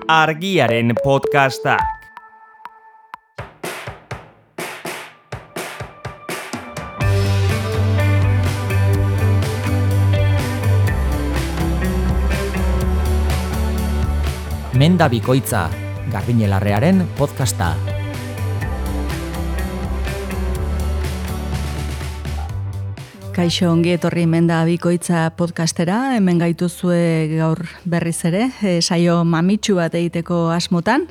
Argiaren podcastak. Menda Bikoitza, Garbiñe Larrearen podcasta. Kaixo, ongi etorri Menda Bikoitza podcastera, hemen gaituzue gaur berriz ere, saio mamitsu bat egiteko asmotan,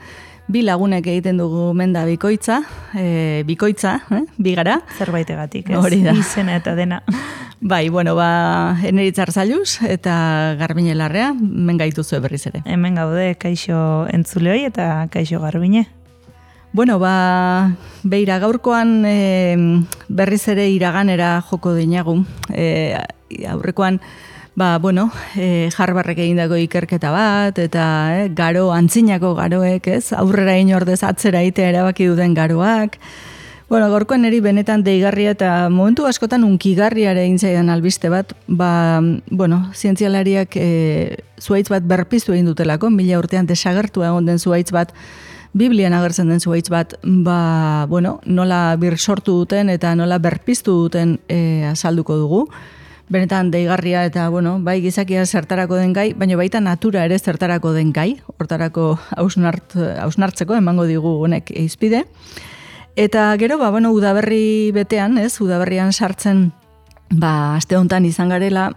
bi lagunek egiten dugu Menda Bikoitza, bi gara. Zerbaitegatik, ez? Hori da. Izena eta dena. Bai, bueno, Eneritz Zailuz eta Garbiñe Larrea, hemen gaituzue berriz ere. Hemen gaude, kaixo entzuleoi eta kaixo Garbiñe. Bueno, beira gaurkoan berriz ere iraganera joko dinagu. Aurrekoan, Harvardek egindako ikerketa bat, eta antzinako garoek, ez? Aurrera inordez atzera itea erabaki duten garoak. Bueno, gaurkoan eri benetan deigarria eta momentu askotan unkigarriare egin zaidan albiste bat, zientzialariak zuhaitz bat berpiztu egin dutelako, 1000 urtean desagertu egon den zuhaitz bat, Biblian agertzen den zuhaitz bat, nola sortu duten eta nola berpiztu duten azalduko dugu. Benetan deigarria eta, bai gizakia zertarako den gai, baina baita natura ere zertarako den gai, hortarako hausnartzeko emango digu honek izpide. Eta gero, udaberri betean, udaberrian sartzen, aste honetan izan garela,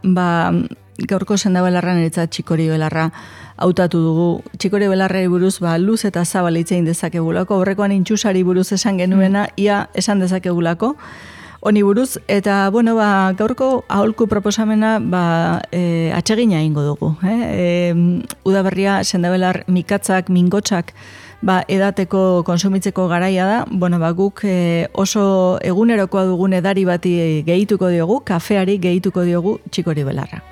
gaurko sendabelarra niretzat txikori belarra hautatu dugu. Txikori belarrari buruz luz eta zabal hitz egin dezakegulako, horrekoan intxusari buruz esan genuena, ia esan dezakegulako, honi buruz, eta gaurko aholku proposamena atsegina egingo dugu. Udaberria sendabelar mikatzak, mingotsak, edateko konsumitzeko garaia da, guk oso egunerokoa dugun edari bati gehituko diogu, kafeari gehituko diogu txikori belarra.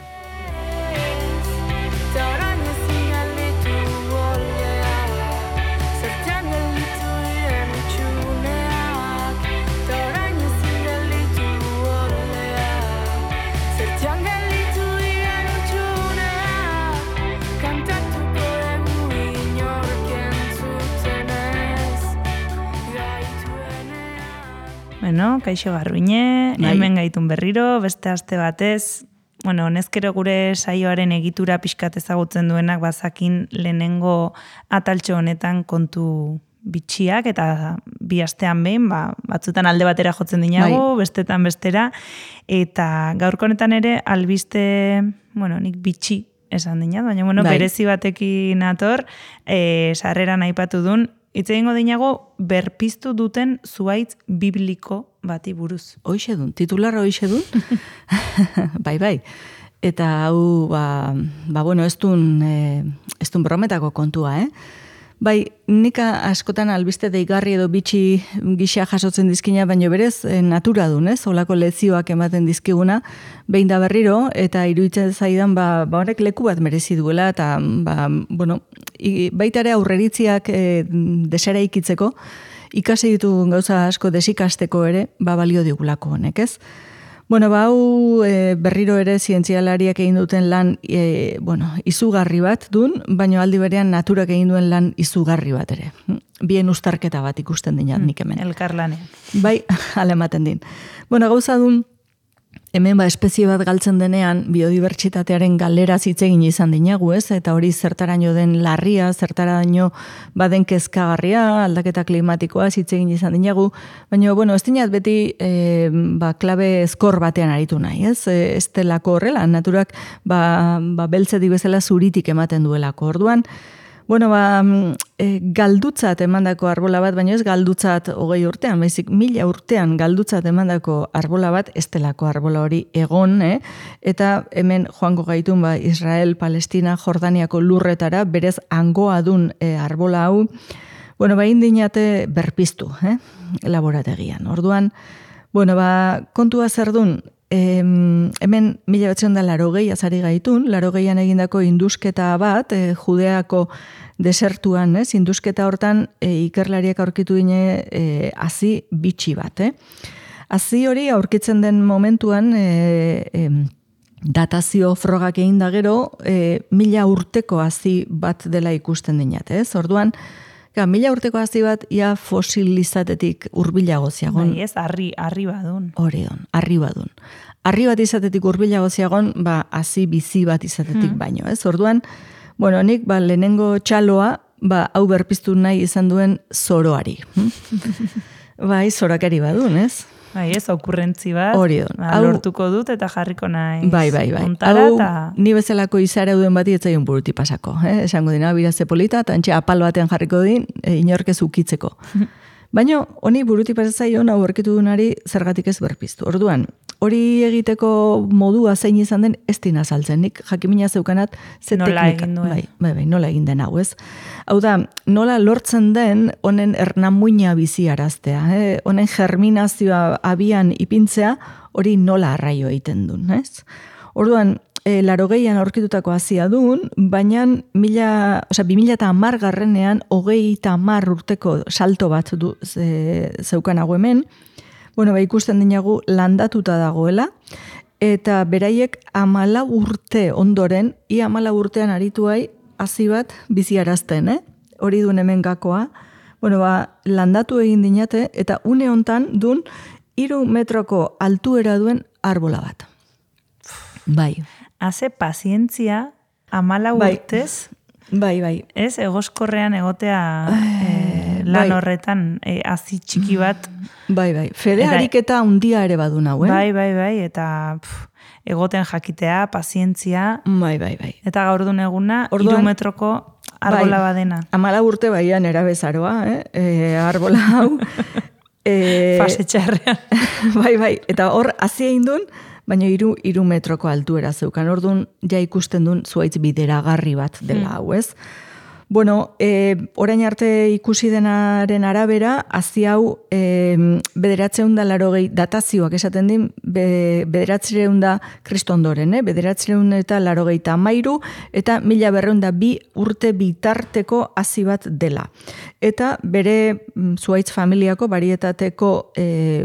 Bueno, kaixo Garbiñe, hemen gaitun berriro, beste aste batez, honezkero gure saioaren egitura pixkat ezagutzen duenak bazakin lehenengo ataltxo honetan kontu bitxiak, eta bi astean behin, batzutan alde batera jotzen dinago, bestetan bestera, eta gaurko honetan ere albiste, nik bitxi esan dinat, baina berezi batekin ator, sarreran aipatu duen, hitz egingo dinago berpiztu duten zuhaitz bibliko bati buruz. Hoixe dun, titularra hoixe dun. Bai. Eta hau, ez dun brometako kontua, Bai, nik askotan albiste deigarri edo bitxi gisa jasotzen dizkina, baina berez natura dun, olako lezioak ematen dizkiguna, behin da berriro, eta iruditzen zaidan, horrek leku bat merezi duela, eta, baita ere aurreritziak desera ikitzeko, ikasi ditu gauza asko desikasteko ere, balio digulako honek, ez? Hau berriro ere zientzialariak egin duten lan izugarri bat dun, baina aldi berean naturak egin duen lan izugarri bat ere. Bien uztarketa bat ikusten dinat nik hemen. Elkarlanean. Bai, alematen din. Gauza dun, hemen espezie bat galtzen denean biodibertsitatearen galeraz hitz egin izan dinagu, eta hori zertaraino den larria, zertaraino baden kezkagarria, aldaketa klimatikoa hitz egin izan dinagu, baina ez dinat beti klabe ezkor batean aritu nahi, ez delako horrela, naturak beltzetik bezala zuritik ematen duelako. Orduan, galdutzat emandako arbola bat, baina ez galdutzat 20 urtean, baizik 1000 urtean galdutzat emandako arbola bat, ez delako arbola hori egon, eta hemen joango gaitun Israel, Palestina, Jordaniako lurretara, berez hangoa dun arbola hau, indinate berpiztu, laborategian. Orduan, kontua zer dun, hemen 1980 azari gaitun, 80an egindako indusketa bat, Judeako desertuan, indusketa hortan ikerlariak aurkitu dine hazi bitxi bat. Hazi hori aurkitzen den momentuan datazio frogak egin da gero, 1000 urteko hazi bat dela ikusten dinat, ez? Orduan, 1000 urteko hazi bat, ia fosilizatetik hurbilago ziagon. Bai, ez, harri badun. Orion, harri badun. Harri bat izatetik hurbilago ziagon, hazi bizi bat izatetik baino, ez? Orduan, nik lehenengo txaloa, hau berpiztu nahi izan duen zoroari. Bai, zorakari badun, ez? Bai, ez, okurrentzi bat. Orion. Lortuko dut eta jarriko nahi. Bai. Hau, ni bezalako izara duen bati etzaion buruti pasako. Esango dina, biraze polita, eta antxe apal batean jarriko din, inorkez ukitzeko. Baina, honi buruti pasatzaion, hau erkitu dunari zergatik ez berpiztu. Orduan, hori egiteko modua zein izan den, ez dina saltzen. Nik jakimina zeukanat, ze nola teknika. Egin duen. Bai, nola egin den hau, ez? Hau da, nola lortzen den honen ernamuina biziaraztea. Honen germinazioa abian ipintzea, hori nola arraio egiten duen, ez? Orduan, 80an aurkitutako hazia duen, baina 2010 garrenean 30 urteko salto bat zeukanago hemen, ikusten dinagu landatuta dagoela, eta beraiek 14 urte ondoren, ia 14 urtean arituai hazi bat biziarazten, hori duen hemen gakoa, landatu egin dinate, eta une hontan duen 3 metroko altuera duen arbola bat. Bai. Haze pazientzia 14 urtez, Bai. Ez, egoskorrean egotea lan horretan hazi txiki bat. Bai. Fede ariketa handia ere badun hau, Bai, eta egoten jakitea, pazientzia. Bai. Eta gaur duen eguna, 3 metroko arbola badena. 14 urte baian erabezaroa, arbola hau. Fase txarrean. Bai, eta hor, hazi egin duen, baina 3 metroko altuera zeukan. Orduan, ja ikusten duen zuaitz bideragarri bat dela hau, ez? Orain arte ikusi denaren arabera, hazi hau 980 datazioak esaten din, 900 kristondoren, 983 eta 1202 urte bitarteko hazi bat dela. Eta bere zuaitz familiako barietateko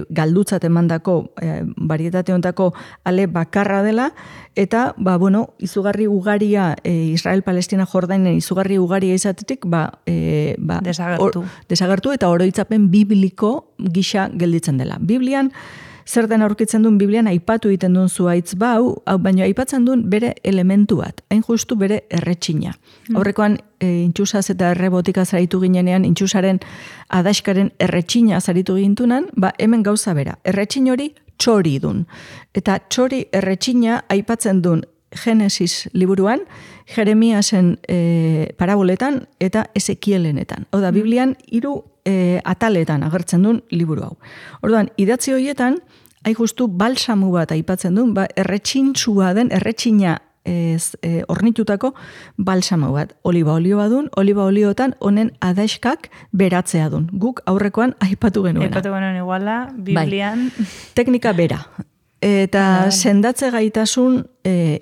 galdutzat emandako barietate hontako ale bakarra dela, eta, izugarri ugaria, Israel-Palestina Jordainen izugarri ugaria izatetik, desagertu eta oroitzapen bibliko gisa gelditzen dela. Biblian, zer den aurkitzen duen Biblian, aipatu egiten duen zuaitz baina aipatzen duen bere elementu bat, hain justu bere erretxina. Aurrekoan, intxusaz eta errebotika zaritu ginenean, intxusaren adaskaren erretxina zaritu gintunan, hemen gauza bera. Erretxin hori txori dun. Eta txori erretxina aipatzen duen Genesis liburuan, Jeremiasen paraboletan eta Ezekielenetan. Hau da, Biblian 3 ataletan agertzen duen liburu hau. Orduan, idatzi horietan, hain justu balsamu bat aipatzen duen, erretxintsua den, erretxina ornitutako balsamu bat. Oliba olioa duen, oliba oliotan honen adaiskak beratzea duen. Guk aurrekoan aipatu genuena. Aipatu genuen iguala, Biblian. Teknika bera. Eta sendatze gaitasun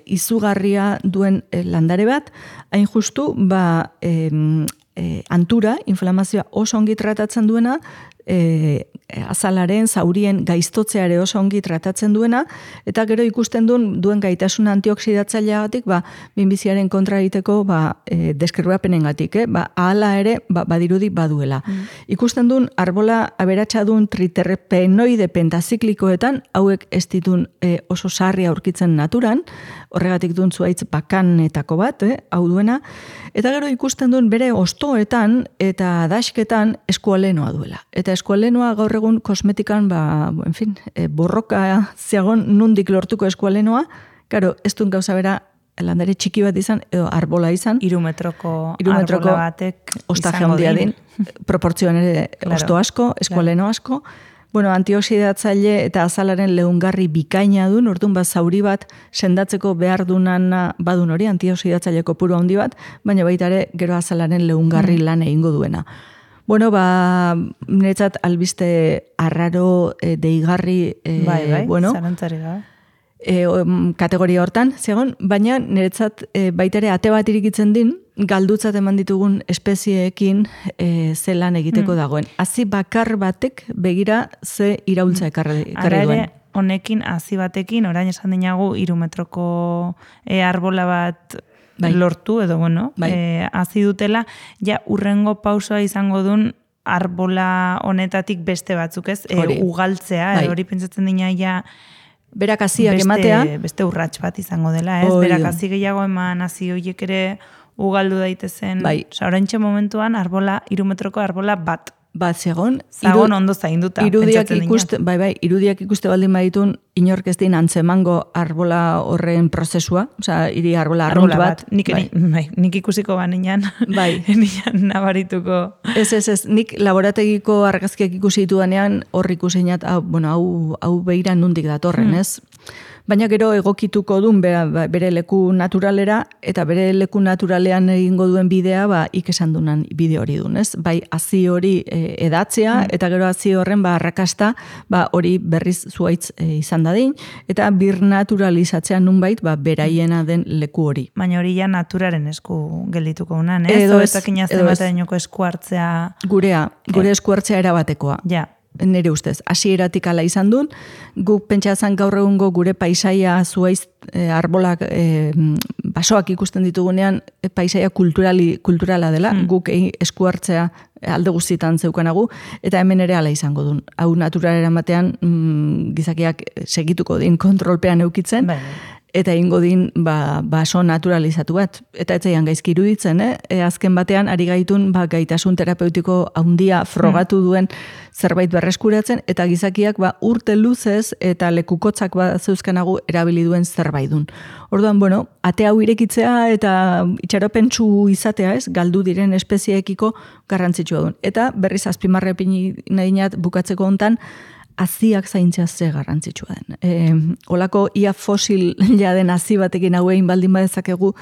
izugarria duen landare bat, hain justu, antura, inflamazioa oso ongi tratatzen duena, azalaren, zaurien gaiztotzeare oso ongi tratatzen duena, eta gero ikusten duen gaitasun antioksidatzaileagatik, minbiziaren kontra egiteko deskribapenengatik, ahala ere badirudi baduela. Ikusten duen arbola aberatsa duen triterpenoide pentaziklikoetan, hauek ez ditun oso sarri aurkitzen naturan, horregatik duen zuaitz bakanetako bat, hau duena, eta gero ikusten duen bere ostoetan eta dasketan eskualenoa duela. Eta eskualenoa gaur egun kosmetikan, borroka ziagon nundik lortuko eskualenoa, karo, ez duen gauza bera landare txiki bat izan, edo arbola izan. 3 metroko arbola batek ostaje handia din. Proportzioan ere osto asko, eskualeno asko. Antioxidatzaile eta azalaren leungarri bikaina duen, orduan zauri bat sendatzeko behar dunana badun hori, antioxidatzaile kopuru handi bat, baina baita ere gero azalaren leungarri lan egingo duena. Niretzat albiste arraro deigarri, zarantzari da. Kategoria hortan, zegoen, baina niretzat baita ere ate bat irikitzen din, galdutzat eman ditugun espezieekin zelan egiteko dagoen. Hazi bakar batek begira ze iraultza ekarri duen. honekin, hazi batekin, orain esan dinagu 3 metroko arbola bat lortu, edo hazi dutela, ja urrengo pausoa izango duen arbola honetatik beste batzuk, ez? Ugaltzea, hori pentsatzen dina ja berak haziak ematea. Beste urrats bat izango dela, ez? Berak hazi gehiago eman, hazi horiek ere ugaldu daitezen. Oraintxe momentuan arbola, 3 metroko arbola bat. Zegon ondo zainduta. Irudiak ikuste baldin baditun, inork ez din antzemango arbola horren prozesua, hiri arbola arrunt bat. Nik ikusiko banean, nian nabarituko. Ez, nik laborategiko argazkiak ikusi ditudanean, hor ikusinat, hau beira nundik datorren, ez? Baina gero egokituko duen bere leku naturalera, eta bere leku naturalean egingo duen bidea, ikesan dunan bide hori duen, ez? Bai, hazi hori edatzea, eta gero hazi horren arrakasta, hori berriz zuaitz izan dadin, eta bir naturalizatzea nunbait, beraiena den leku hori. Baina hori ja naturaren esku geldituko unan, ez? Edo ez esku hartzea. Gure esku hartzea erabatekoa. Ja. Nire ustez, hasieratik ala izan duen, guk pentsazan gaur egungo gure paisaia zuaiz arbolak basoak ikusten ditugunean paisaia kulturala dela, guk esku hartzea alde guztietan zeukanagu, eta hemen ere ala izango duen. Hau naturalera batean gizakiak segituko din kontrolpean eukitzen, eta ingo din baso naturalizatu bat. Eta etzaian gaizki iruditzen, azken batean ari gaitun gaitasun terapeutiko handia frogatu duen zerbait berreskuratzen, eta gizakiak urte luzez eta lekukotzak zeuzkanagu erabili duen zerbait dun. Orduan, ate hau irekitzea eta itxaropentsu izatea, ez, galdu diren espezieekiko garrantzitsua duen. Eta berriz azpimarrepin nahinat bukatzeko hontan, haziak zaintzea ze garrantzitsua den. Olako ia fosil jaden hazi batekin hauein baldin badezakegu,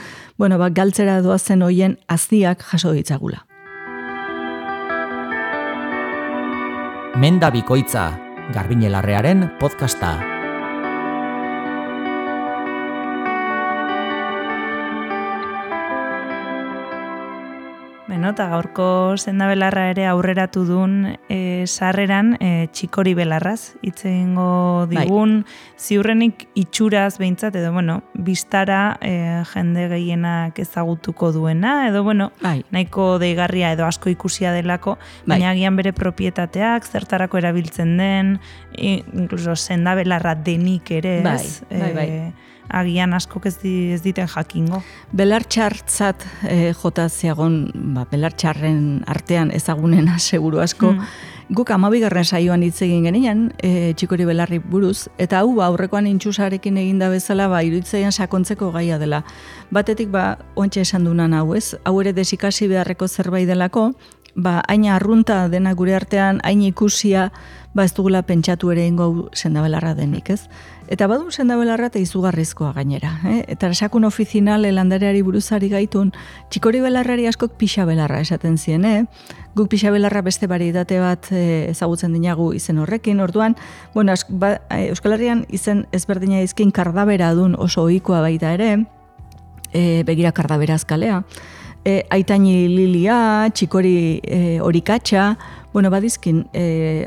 galtzera doazen hoien haziak jaso ditzagula. Menda Bikoitza, Garbiñe Larrearen podcasta. Eta gaurko sendabelarra ere aurreratu duen sarreran txikori belarraz. Hitz egingo digun, ziurrenik itxuraz behintzat, edo bistara jende gehienak ezagutuko duena, edo nahiko deigarria edo asko ikusia delako, baina agian bere propietateak, zertarako erabiltzen den, inkluso sendabelarra denik ere, ez? Agian askok ez diten jakingo. Belartxartzat jota ziagon, belartxarren artean ezagunena seguru asko. Guk 12. saioan hitz egin genian, txikori belarri buruz, eta hau aurrekoan intxusarekin eginda bezala, iruditzaian sakontzeko gaia dela. Batetik, ontsa esan dunan hau, ez? Hau ere desikasi beharreko zerbait delako, hain arrunta dena gure artean, hain ikusia, ez dugula pentsatu ere ingo sendabelarra denik, ez? Eta badu sendabelarra eta izugarrizkoa gainera. Eta esakun ofizinal landareari buruzari gaitun, txikori belarrari askok pixabelarra esaten zien, Guk pixabelarra beste barietate bat ezagutzen dinagu izen horrekin, orduan, Euskal Herrian izen ezberdina izkin kardabera dun oso ohikoa baita ere, begira kardabera azkalea, aitaini lilia, txikori horikatxa, badizkin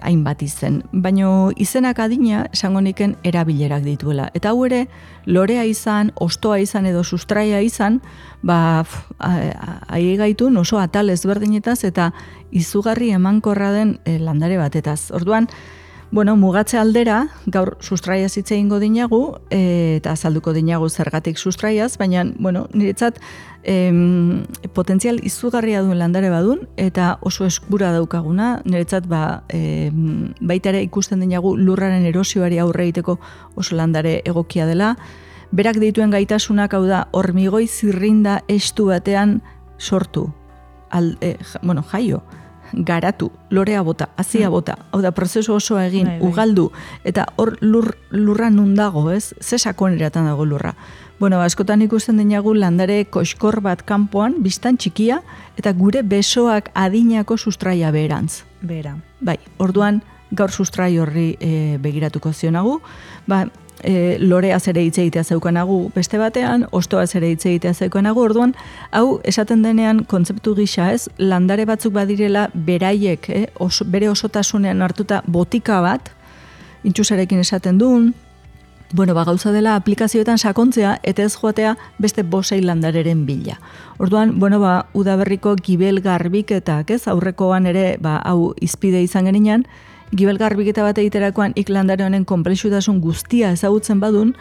hainbat izen. Baina izenak adina esango niken erabilerak dituela. Eta hau ere, lorea izan, ostoa izan edo sustraia izan, ahi gaitun oso atal ezberdinetaz eta izugarri emankorra den landare batetaz. Orduan, mugatze aldera, gaur sustraiaz hitz egingo dinagu, eta azalduko dinagu zergatik sustraiaz, baina, niretzat, potentzial izugarria duen landare badun, eta oso eskura daukaguna, niretzat, baita ere ikusten dinagu lurraren erosioari aurre egiteko oso landare egokia dela. Berak dituen gaitasunak, hau da, hormigoi zirrinda estu batean sortu, jaio, garatu, lorea bota, hazia bota, hau da, prozesu oso egin, ugaldu, eta hor lurra nun dago, ez? Ze sakoneratan dago lurra. Askotan ikusten dinagu landare koskor bat kanpoan, biztan txikia, eta gure besoak adinako sustraia beherantz. Bera. Orduan, gaur sustrai horri begiratuko zionagu, lorea zere hitz egitea zeukanagu beste batean, ostoa zere hitz egitea zeukanagu, orduan, hau esaten denean kontzeptu gisa, ez, landare batzuk badirela beraiek, bere osotasunean hartuta botika bat, intxusarekin esaten duen, bueno, gauza dela aplikazioetan sakontzea eta ez joatea beste 5-6 landareren bila. Orduan, bueno, udaberriko gibel garbiketak, ez? Aurrekoan ere, hau izpide izan geninan, gibel garbiketa bat egiterakoan landare honen konplexutasun guztia ezagutzen badun,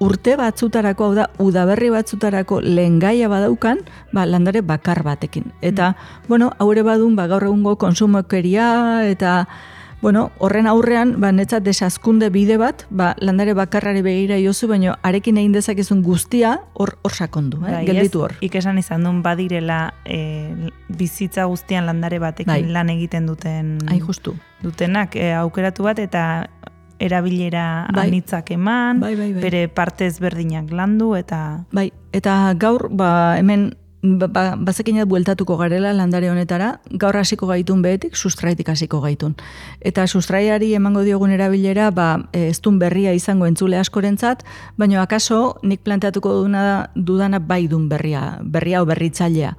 urte batzutarako, hau da, udaberri batzutarako lehengaia badaukan, landare bakar batekin. Eta, bueno, haure badun, gaur egungo konsumokeria eta bueno, horren aurrean, netzat desazkunde bide bat, landare bakarrari begira jozu, baina arekin egin dezakezun guztia hor sakondu, gelditu hor. Ikesan izan duen badirela bizitza guztian landare batekin lan egiten justu. Dutenak aukeratu bat eta erabilera anitzak eman, bere parte ezberdinak landu eta... Eta gaur, hemen bazekinat bueltatuko garela landare honetara, gaur hasiko gaitun behetik, sustraitik hasiko gaitun. Eta sustraiari emango diogun erabilera, ez dun berria izango entzule askorentzat, baina akaso nik planteatuko dudana bai dun berria o berritzailea.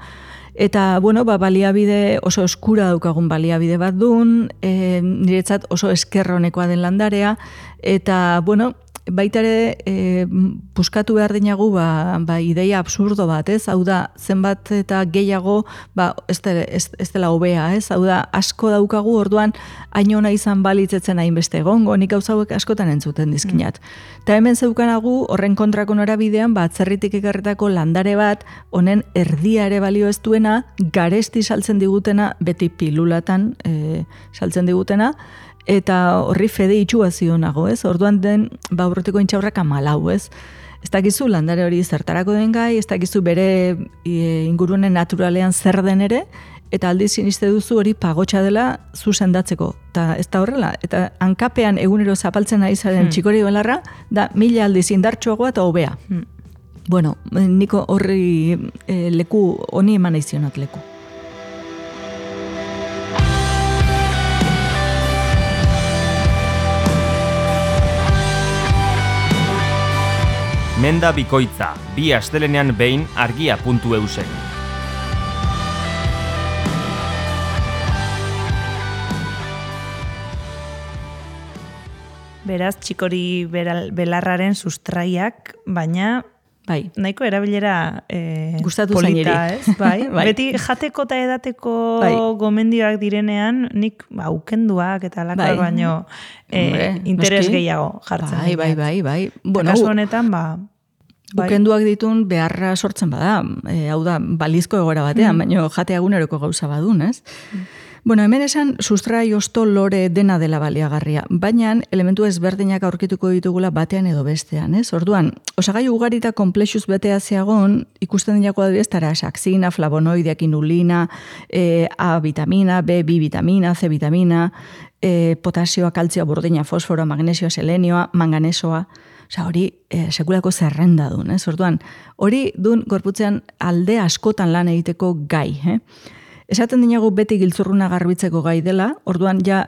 Eta, bueno, baliabide oso eskura daukagun baliabide bat dun, niretzat oso eskerronekoa den landarea, eta, bueno, baita ere puskatu behar dinagu ideia absurdo bat, ez? Hau da, zenbat eta gehiago ez dela hobea, ez? Hau da, asko daukagu, orduan hain ona izan balitzetzen hainbeste egongo, nik gauza hauek askotan entzuten dizkinat. Eta hemen zeukanagu, horren kontrako norabidean, atzerritik ekarretako landare bat, honen erdia ere balio ez duena, garesti saltzen digutena, beti pilulatan saltzen digutena, eta horri fede itxua zionago, ez? Orduan den, urrutiko intxaurrak 14, ez? Ez dakizu landare hori zertarako den gai, ez dakizu bere ingurune naturalean zer den ere, eta aldiz siniste duzu hori pagotxa dela zu sendatzeko. Eta ez da horrela, eta hankapean egunero zapaltzen ari zaren txikori belarra, da 1000 aldiz indartsuagoa eta hobea. Bueno, niko horri leku, honi eman aizionat leku. Menda bikoitza, 2 astelenean behin argia.eusen. Beraz, txikori belarraren sustraiak, baina nahiko erabilera gustatu polita, ez? Beti jateko eta edateko gomendioak direnean, nik aukenduak eta alakoak baino interes gehiago jartzen. Bai. Kasu honetan, ukenduak ditun beharra sortzen bada, hau da, balizko egoera batean, baina jatea eguneroko gauza badun, ez? Bueno, hemen esan sustrai osto lore dena dela baliagarria, baina elementu ezberdinak aurkituko ditugula batean edo bestean, ez? Orduan, osagai ugarita komplexuz betea zeagon, ikusten dinako adibidez, taraxaxina, flavonoideak, inulina, A vitamina, B vitamina, C vitamina, potasioa, kaltzioa, burdina, fosforoa, magnesioa, selenioa, manganesoa, hori sekulako zerrenda dun, ez? Orduan, hori dun gorputzean alde askotan lan egiteko gai, Esaten dinago beti giltzurruna garbitzeko gai dela, orduan ja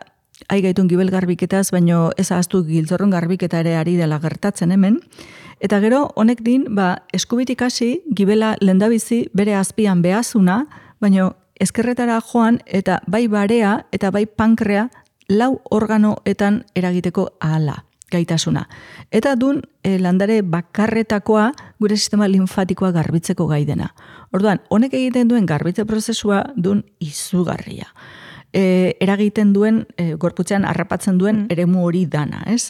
gaitun gibel garbiketaz, baino ez ahaztu giltzurrun garbiketa ere ari dela gertatzen hemen. Eta gero, honek din, eskubitik hasi, gibela lendabizi bere azpian behazuna, baino ezkerretara joan eta bai barea eta bai pankrea 4 organoetan eragiteko ahala gaitasuna. Eta dun landare bakarretakoa gure sistema linfatikoa garbitzeko gai dena. Orduan, honek egiten duen garbitze prozesua dun izugarria. Eragiten duen, gorputzean harrapatzen duen eremu hori dana, ez?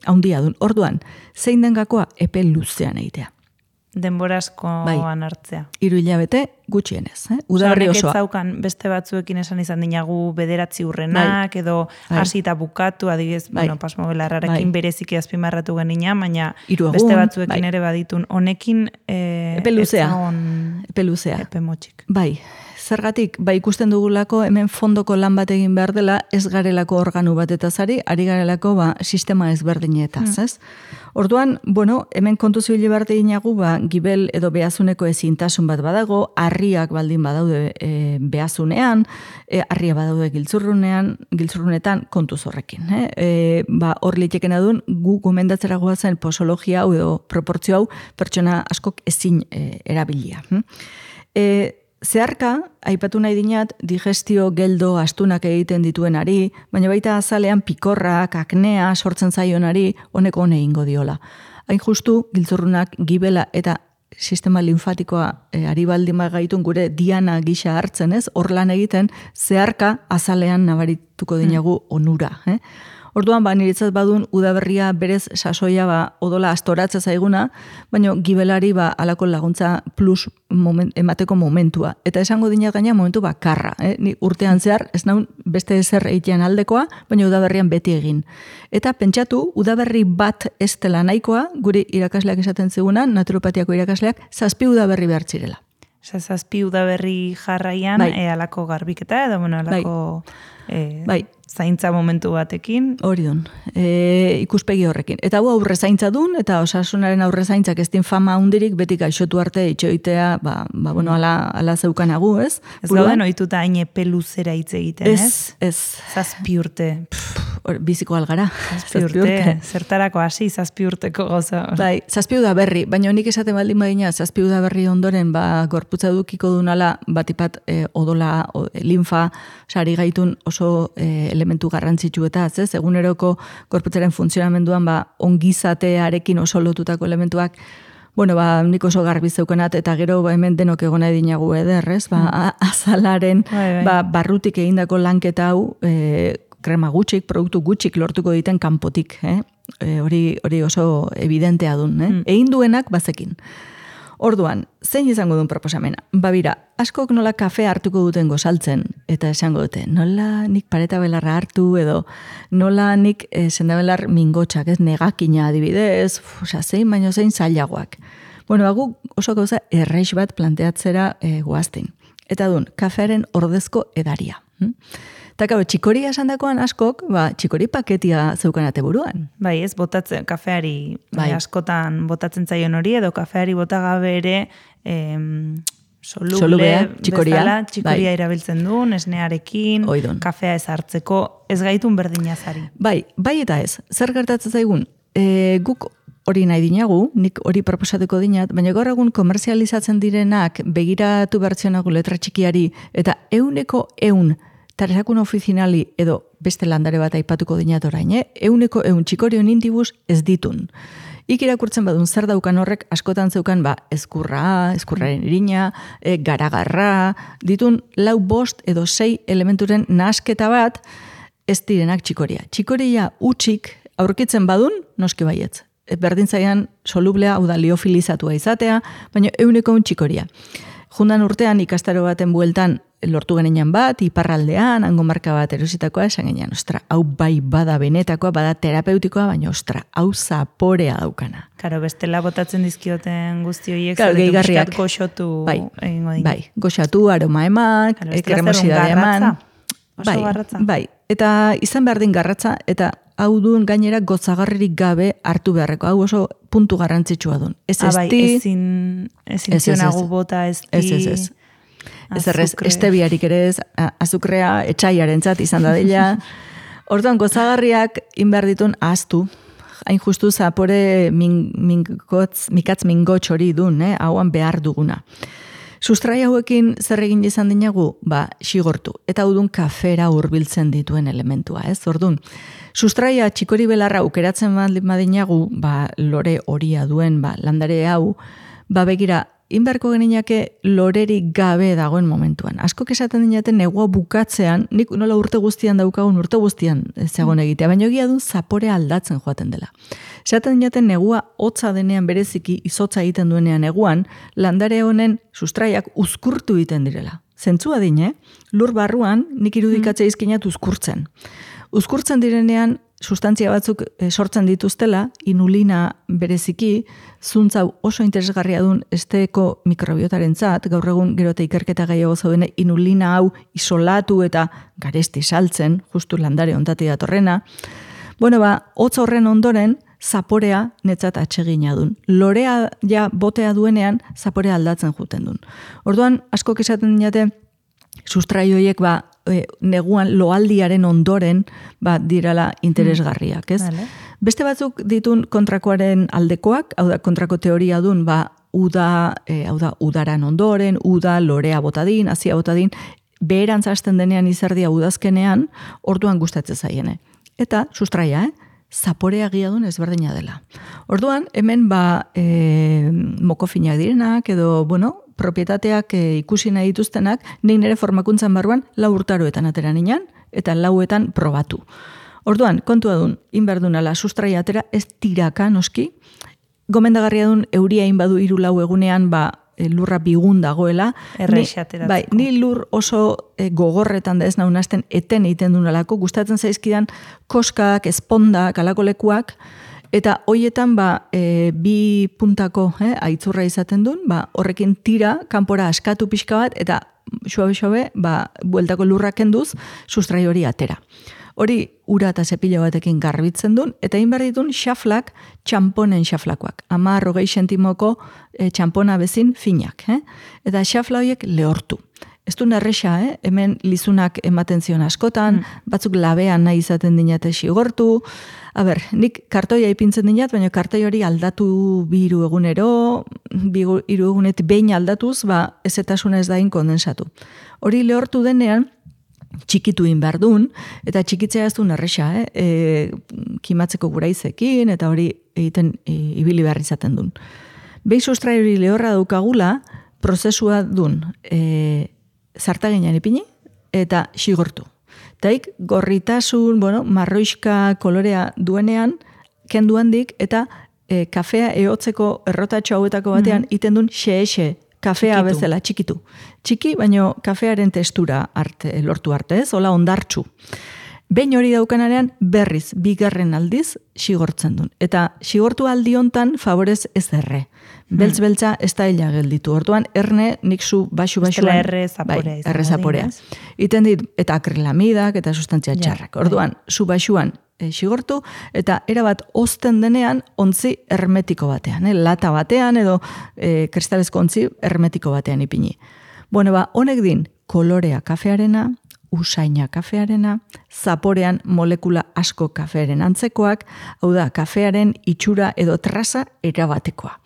Haundia dun. Orduan, zein den gakoa epe luzean egitea. Denborazkoan hartzea. 3 hilabete gutxienez. Udaberri osoa. Zaukan beste batzuekin esan izan dinagu 9 urrenak, edo hasi eta bukatu, adibidez, Pasmo Belarrarekin bereziki azpimarratu genina, baina beste batzuekin ere baditun. Honekin epe luzea. Epe motxik. Zergatik, ikusten dugulako hemen fondoko lan bat egin behar dela, ez garelako organu batetaz ari garelako sistema ezberdinetaz, ez? Orduan, hemen kontu zibili behar dinagu, gibel edo behazuneko ezintasun bat badago, harriak baldin badaude behazunean, harria badaude giltzurrunetan kontuz horrekin. Hor litekena duen, gu gomendatzera goazen posologia hau edo proportzio hau pertsona askok ezin erabilia. Zeharka, aipatu nahi dinat, digestio geldo astunak egiten dituenari, baina baita azalean pikorrak, aknea sortzen zaionari, honeko hone ingo diola. Hain justu, giltzurrunak, gibela eta sistema linfatikoa ari baldin gaitun gure diana gisa hartzen, ez? Hor lan egiten, zeharka azalean nabarituko dinagu onura. Orduan, niretzat badun udaberria berez sasoia odola astoratza zaiguna, baina gibelari alako laguntza plus emateko momentua. Eta esango dinat gaina momentu bakarra. Ni urtean zehar, ez naun beste ezer egitean aldekoa, baina udaberrian beti egin. Eta pentsatu, udaberri bat ez dela nahikoa, guri irakasleak esaten zigunan, naturopatiako irakasleak, 7 udaberri behar zirela. 7 udaberri jarraian, alako garbiketa, edo alako... zaintza momentu batekin. Hori dun, ikuspegi horrekin. Eta hau aurre zaintza dun, eta osasunaren aurre zaintzak ez din fama hundirik, beti gaixotu arte itxoitea, ala zeukanagu, ez? Ez gauden ohituta haine peluzera hitz egiten, ez? Ez. 7 urte. Biziko algara. 7 urte. Zertarako hasi 7 urteko goza. 7 udaberri, baina nik esaten baldin badina, 7 udaberri ondoren, gorputza dukiko dunala, batipat odola, linfa, sari gaitun oso elementu garrantzitsu eta ez, eguneroko gorputzaren funtzionamenduan ongizatearekin oso lotutako elementuak, nik oso garbi zeukenat, eta gero hemen denok egona edinagu ederrez, azalaren barrutik egindako lanketa hau, krema gutxik, produktu gutxik lortuko diten kanpotik, hori oso evidentea dun, egin duenak bazekin. Orduan, zein izango duen proposamena? Bira, askok nola kafe hartuko duten gozaltzen, eta esango dute, nola nik pareta belarra hartu, edo nola nik sendabelar mingotxak, ez negakina adibidez, zein baino zein zailagoak. Hagu oso gauza erreix bat planteatzera goazten. Eta duen, kafearen ordezko edaria. Eta gau, txikoria esandakoan askok, txikori paketia zeukanate buruan. Ez botatzen, kafeari askotan botatzen zaion hori, edo kafeari botagabe ere soluble txikoria erabiltzen duen, esnearekin, kafea ez hartzeko, ez gaitun berdinazari. Bai eta ez, zer gertatzen zaigun, guk hori nahi dinagu, nik hori proposatuko dinat, baina gaur egun komerzializatzen direnak begiratu bertzionagu letra txikiari, eta 100% taresakun ofizinali edo beste landare bat aipatuko dinat orain, 100% txikorion indibus ez ditun. Irakurtzen badun zer daukan horrek askotan zeukan eskurraren irina, garagarra, ditun 4, 5 edo 6 elementuren nahasketa bat ez direnak txikoria. Txikoria utxik aurkitzen badun, noski baietz. Berdin zaian solublea, hau da liofilizatua izatea, baina 100% txikoria. Jundan urtean ikastaro baten bueltan lortu genean bat, iparraldean, hango marka bat erositakoa, esan genean, hau bai bada benetakoa, bada terapeutikoa, baina hau zaporea daukana. Karo, bestela botatzen dizkioten guzti horiek, gehigarriak goxotu egingo dira. Bai, goxatu, aroma eman, kremosidadea eman. Oso garratza. Bai, eta izan behar din garratza, eta hau duen gainera gozagarririk gabe hartu beharreko. Hau oso puntu garrantzitsua duen. Ezin zionagu bota ez. Ez errez, estebiarik ere ez, azukrea etxaiaren zat izan dadila. Orduan, gozagarriak inbehar ditun ahaztu. Hain justu zapore mikatz mingotx hori dun, hauan behar duguna. Sustrai hauekin zer egin izan dinagu? Xigortu. Eta udun kafera hurbiltzen dituen elementua, ez? Orduan, sustraia txikori belarra ukeratzen badinagu, lore horia duen, landare hau, begira, inberko geninake lorerik gabe dagoen momentuan. Askok esaten dinaten negua bukatzean, nik nola urte guztian daukagun urte guztian zegoen egitea, baina egia du zapore aldatzen joaten dela. Esaten dinaten negua hotza denean bereziki izotza egiten duenean neguan, landare honen sustraiak uzkurtu egiten direla. Zentzua dine, lur barruan nik irudikatzea izkinat uzkurtzen. Uzkurtzen direnean, sustantzia batzuk sortzen dituztela, inulina bereziki, zuntzau oso interesgarria duen esteko mikrobiotaren zat, gaur egun gerote ikerketa gehiago zaudene, inulina hau isolatu eta garesti saltzen, justu landare ontati datorrena. Hotz horren ondoren, zaporea netzat atsegina duen. Lorea ja botea duenean, zaporea aldatzen juten duen. Orduan, askok esaten dinate, sustraioiek neguan loaldiaren ondoren dirala interesgarriak, ez? Vale. Beste batzuk ditun kontrakoaren aldekoak, hau da kontrako teoria dun, uda, hau da, udaran ondoren, uda, lorea botadin, hazia botadin, beherantz hasten denean izerdia udazkenean, orduan gustatzen zaiene. Eta, sustraia, zaporea giadun ezberdina dela. Orduan, hemen mokofinak direnak, edo, propietateak ikusi nahi dituztenak, nik nire formakuntzan barruan 4 urtaroetan atera ninan, eta 4etan probatu. Orduan, kontua dun, inberdunala sustraia atera, ez tiraka noski, gomendagarria dun euria inbadu 3-4 egunean, lurra bigun dagoela. Errexateratzeko. Ni lur oso gogorretan da ez naunazten eten egiten dunalako, gustatzen zaizkidan koskak, espondak, alako lekuak, eta hoietan 2 puntako aitzurra izaten duen, horrekin tira, kanpora askatu pixka bat, eta xoabe, bueltako lurrak kenduz, sustrai hori atera. Hori ura eta zepila batekin garbitzen duen, eta inberditun xaflak, txamponen xaflakoak. 10-20 sentimoko txampona bezin finak. Eta xafla horiek lehortu. Ez du nerresa, hemen lizunak ematen zion askotan, batzuk labean nahi izaten dinate xigortu. Nik kartoia ipintzen dinat, baina kartoi hori aldatu 2 egunero, 3 egunetik behin aldatuz, ezetasuna ez dain kondensatu. Hori lehortu denean, txikitu inberdun, eta txikitzea ez du nerresa, kimatzeko guraizekin, eta hori egiten ibili behar izaten duen. Behi sustrai hori lehorra daukagula, prozesua duen, zartaginan ipini, eta xigortu. Taik, gorritasun, marroiska kolorea duenean, kendu handik, eta kafea ehotzeko errotatxo hauetako batean, iten duen xe-exe, kafea bezala, txikitu. Txiki, baino kafearen testura lortu arte, ez? Hola ondartxu. Behin hori daukanarean berriz, 2. aldiz, xigortzen duen. Eta xigortu aldi hontan favorez ez erre. Beltz-beltza ez da hila gelditu. Orduan, erne, nik zu baxu-baxuan... Estela erre zaporea. Erre zaporea. Iten dit, eta akrilamidak, eta sustantzia txarrak. Orduan, zu baxuan xigortu, eta erabat ozten denean ontzi hermetiko batean. Lata batean, edo kristalezko ontzi hermetiko batean ipini. Honek din, kolorea kafearena, usaina kafearena, zaporean molekula asko kafearen antzekoak, hau da, kafearen itxura edo traza erabatekoa.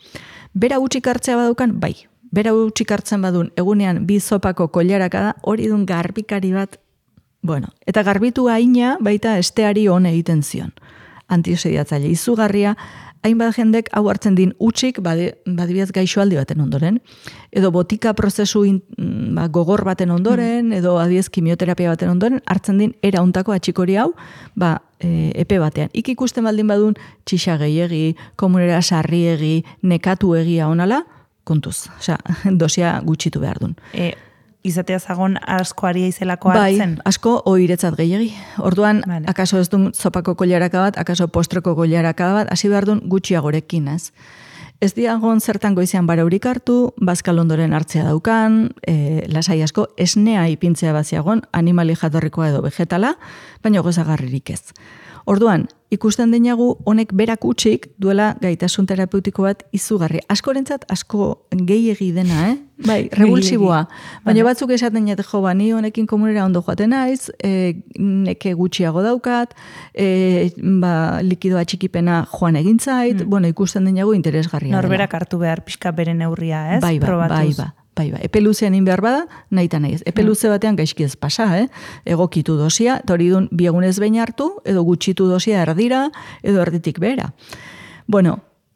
Bera gutxik hartzea badaukan, bai. Bera gutxik hartzen badun, egunean 2 zopako koilaraka da, hori dun garbikari bat, eta garbitu haina baita esteari hon egiten zion. Antiosediatzaile izugarria, hainbat jendek hau hartzen din utxik, badibiaz gaixoaldi baten ondoren, edo botika prozesu gogor baten ondoren, edo adiez kimioterapia baten ondoren, hartzen din era untako atxikori hau, epe batean. Ikusten baldin badun txixa gehiegi, komunera sarriegi, nekatu egia onala, kontuz. Osea, dosia gutxitu behar dun. Izatea zagon asko aria izelako hartzen? Bai, asko oiretzat gehiagi. Orduan, akaso ez duen zopako koilaraka bat, akaso postreko koilaraka bat, hasi behar duen gutxiagorekin, ez? Ez diagon zertan goizean baraurik hartu, bazkal ondoren hartzea daukan, lasai asko, esnea ipintzea baziagon, animali jatorrikoa edo vegetala, baina gozagarririk ez. Orduan, ikusten denagu honek berak utxik duela gaitasun terapeutiko bat izugarri. Askorentzat asko gehiegi dena, Bai, revulsiboa. Baina batzuk esaten jate ni honekin komunera ondo joaten naiz, neke gutxiago daukat, likidoa txikipena joan egin zait, ikusten denagu interesgarria. Norberak hartu behar pixka bere neurria, ez? Bai, epe luzean behar bada, nahi eta nahi ez. Epe luze batean gaizki ez pasa, egokitu dosia, eta hori dun 2 egunez behin hartu, edo gutxitu dosia erdira, edo erditik behera.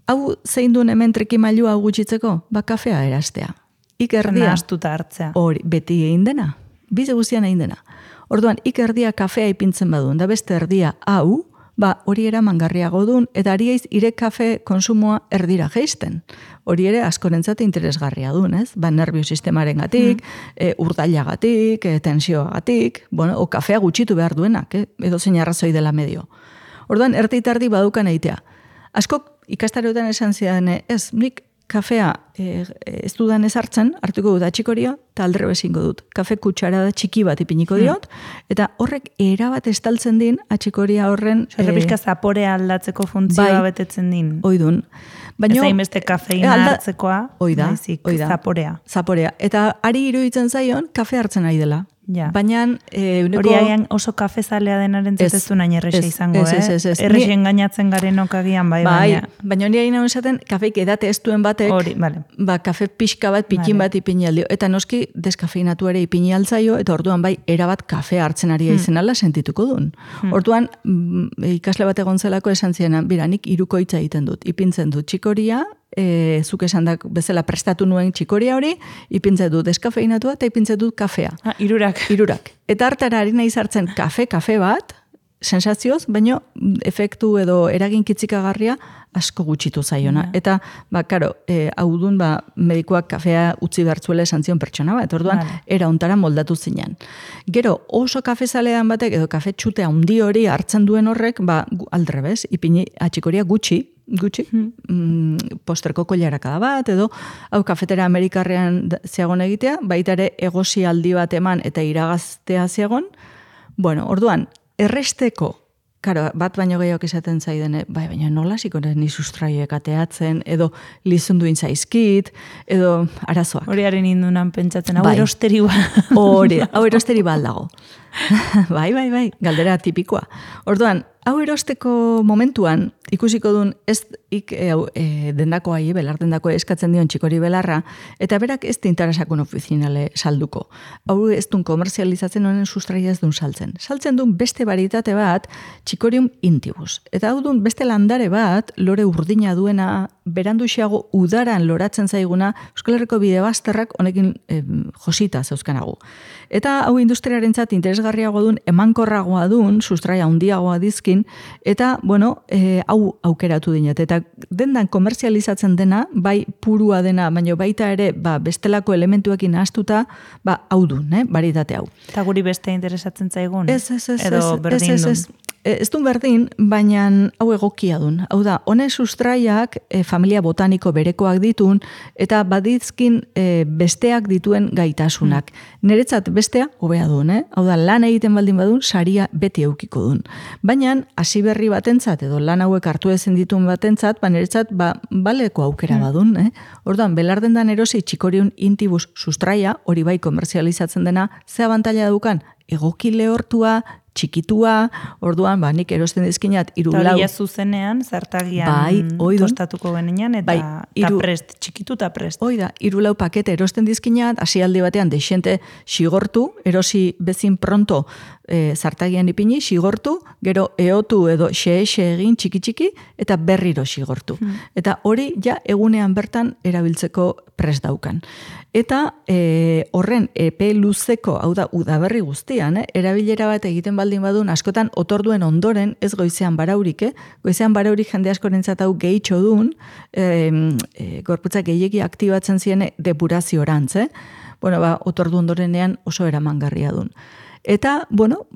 Hau zein duen hemen trikimailu hau gutxitzeko? Kafea erastea. Ikerdia. Nahastuta hartzea. Hori, beti egin dena. Bize guztian egin dena. Orduan, ikerdia kafea ipintzen baduen, da beste erdia hau, hori eramangarriago duen, eta ari eiz ire kafe konsumoa erdira geisten. Hori ere askorentzat interesgarria duen, ez? Nerviosistemaren gatik, urdailagatik, tensioagatik, o kafea gutxitu behar duenak, edo zein arrazoi dela medio. Orduan, erdi badukan eitea. Askok ikastaroetan esan zidan, ez, nik kafea ez dudan ez hartzen, hartuko dut atxikoria, eta aldre bezingo dut. Kafe kutsarada txiki bat ipiniko diot, eta horrek erabat estaltzen din atxikoria horren... Errepizka zaporea aldatzeko funtzioa betetzen din. Oidun. Ez hainbeste kafeina hartzekoa, oida, zaporea. Zaporea. Eta ari iruditzen zaion, kafe hartzen ari dela. Ja. Baina... Hori agian oso kafezalea denaren zetezu nahi errexe izango, ez. Errexe engainatzen garenok agian bai, baina hori hain esaten, kafeik edate ez duen batek, kafe pixka bat, pikin bat ipini aldio. Eta noski, deskafeinatu ere ipini altzaio, eta orduan bai, erabat kafea hartzen ari izen ala sentituko duen. Orduan, ikasle bat egon zelako esan ziena, bira, nik irukoitza egiten dut. Ipintzen dut txikoria, zuk esandak bezala prestatu nuen txikoria hori, ipintzen dut deskafeinatua eta ipintzen dut kafea. Irurak. Eta hartara ari nahi zartzen kafe bat, sensazioz, baino efektu edo eragin kitzikagarria asko gutxitu zaiona. Eta, karo, hau dun, medikoak kafea utzi bertzuela esan zion pertsona bat, orduan, era ontara moldatu zinean. Gero, oso kafezalean batek, edo kafe txutea handi hori hartzen duen horrek, aldrebez, ipini atxikoria gutxi, posterko kollarakada bat, edo hau kafetera amerikarrean ziagon egitea, baita ere egosi aldi bat eman eta iragaztea ziagon. Bueno, orduan, erresteko, karo, bat baino gehiago izaten zaidene, baina nola zikoren ni sustraioek ateatzen, edo lizunduin zaizkit, edo arazoak. Horiaren indunan pentsatzen, hau erosteri ba. Hau erosteri ba aldago. Bai, galdera tipikoa. Orduan, hau erosteko momentuan, ikusiko duen dendako ahi, belardendako eskatzen dion txikori belarra, eta berak ez tintarasakun ofizinale salduko. Hau ez duen komerzializatzen honen sustraia ez duen saltzen. Saltzen duen beste baritate bat, txikorium intibus. Eta hau duen beste landare bat, lore urdina duena, beranduxiago udaran loratzen zaiguna, Euskal Herriko bide bazterrak honekin josita zeuzkanagu. Eta hau industriarentzat interesgarriago duen, emankorragoa duen, sustraia handiagoa dizkin, eta, hau aukeratu dinat. Eta dendan komerzializatzen dena, bai purua dena, baina baita ere, bestelako elementuekin ahaztuta, hau duen, baritate hau. Eta guri beste interesatzen zaigun? Edo berdin duen? Ez duen berdin, baina hau egokia duen. Hau da, honen sustraiak familia botaniko berekoak ditun, eta badizkin besteak dituen gaitasunak. Niretzat bestea, hobea duen, hau da, lan egiten baldin badun, saria beti eukiko duen. Baina, hasi berri batentzat, edo lan hauek hartu ezin dituen batentzat, niretzat, baleko aukera badun. Orduan, belardendan erosi txikoriun intibus sustraia, hori bai komerzializatzen dena, ze abantaila dukan, egoki lehortua, txikitua, orduan, nik erosten dizkinat, 4 lau. Eta zuzenean, zartagian tostatuko genean, eta prest, txikitu eta prest. Oida, 4 lau pakete erosten dizkinat, hasialdi batean deixente xigortu, erosi bezin pronto zartagian ipini, xigortu, gero eotu edo xe egin txiki-txiki, eta berriro xigortu. Eta hori ja egunean bertan erabiltzeko prest daukan. Eta horren epe luzeko, hau da, udaberri guztian, erabilera bat egiten baldin badun, askotan otorduen ondoren, ez goizean baraurik, goizean baraurik jende askorentzat hau gehitxo duen, gorputzak gehiegi aktibatzen ziren depuraziorantz, otordu ondorenean oso eramangarria duen. Eta,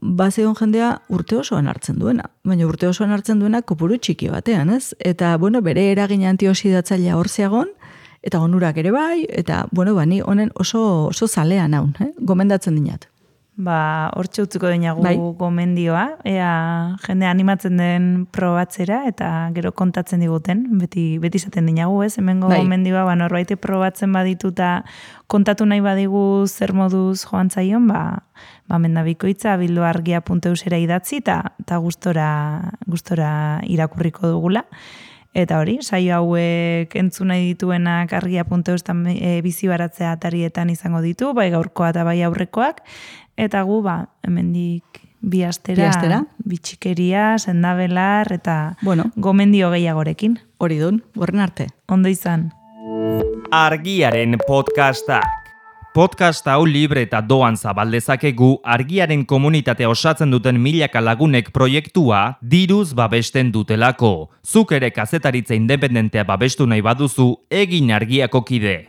bazegon jendea urte osoan hartzen duena. Baina urte osoan hartzen duena kopuru txiki batean, ez? Eta, bere eragin antioxidatzailea hor zeagon, eta onurak ere bai, eta, ni honen oso zalean haun, gomendatzen dinat. Hortxe utziko dinagu gomendioa, ea jende animatzen den probatzera, eta gero kontatzen diguten, beti izaten dinagu, ez? Hemengo gomendioa, norbaite probatzen baditu eta kontatu nahi badigu zer moduz joan zaion, mendabikoitza bilduargia.eusera idatzi, eta gustora irakurriko dugula. Eta hori, saio hauek entzun nahi dituenak argia.eus bizi baratzea atarietan izango ditu, bai gaurkoa eta bai aurrekoak, eta gu, hemendik bi astera, bitxikeria, sendabelar, eta gomendio gehiagorekin. Hori dun, horren arte. Ondo izan. Argiaren podcastak. Podcast hau libre eta doan zabaldezakegu Argiaren komunitatea osatzen duten milaka lagunek proiektua diruz babesten dutelako. Zuk ere kazetaritza independentea babestu nahi baduzu, egin Argiako kide.